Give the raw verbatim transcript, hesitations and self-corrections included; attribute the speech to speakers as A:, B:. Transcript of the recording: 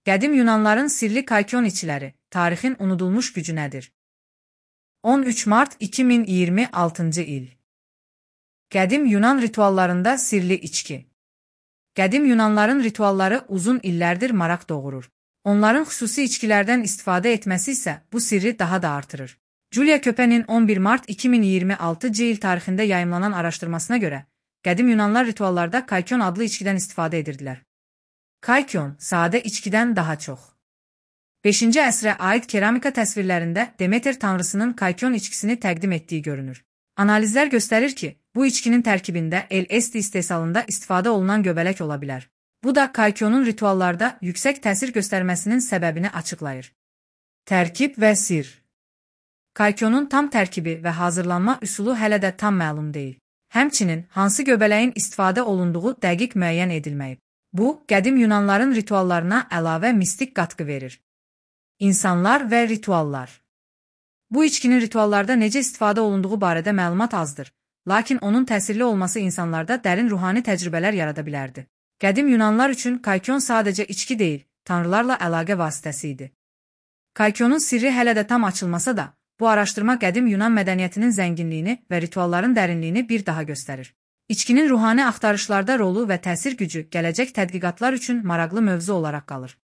A: Qədim Yunanların sirli Kaikon içkiləri, tarixin unudulmuş gücü nədir? on üç mart iki min iyirmi altıncı il. Qədim Yunan rituallarında sirli içki. Qədim Yunanların ritualları uzun illərdir maraq doğurur. Onların xüsusi içkilərdən istifadə etməsi isə bu sirri daha da artırır. Julia Köpen'in on bir mart iki min iyirmi altıncı il tarixində yayımlanan araşdırmasına görə, qədim Yunanlar rituallarda Kaikon adlı içkidən istifadə edirdilər. Kaikon, sadə içkidən daha çox. beşinci əsrə aid keramika təsvirlərində Demeter tanrısının Kaikon içkisini təqdim etdiyi görünür. Analizlər göstərir ki, bu içkinin tərkibində L S D istehsalında istifadə olunan göbələk ola bilər. Bu da Kaikonun rituallarda yüksək təsir göstərməsinin səbəbini açıqlayır. Tərkib və sir. Kaikonun tam tərkibi və hazırlanma üsulu hələ də tam məlum deyil. Həmçinin, hansı göbələyin istifadə olunduğu dəqiq müəyyən edilməyib. Bu, qədim Yunanların rituallarına əlavə mistik qatqı verir. İnsanlar və rituallar. Bu içkinin rituallarda necə istifadə olunduğu barədə məlumat azdır, lakin onun təsirli olması insanlarda dərin ruhani təcrübələr yarada bilərdi. Qədim Yunanlar üçün Kaikon sadəcə içki deyil, tanrılarla əlaqə vasitəsi idi. Kaikonun sirri hələ də tam açılmasa da, bu araşdırma qədim Yunan mədəniyyətinin zənginliyini və ritualların dərinliyini bir daha göstərir. İçkinin ruhani axtarışlarda rolu və təsir gücü gələcək tədqiqatlar üçün maraqlı mövzu olaraq qalır.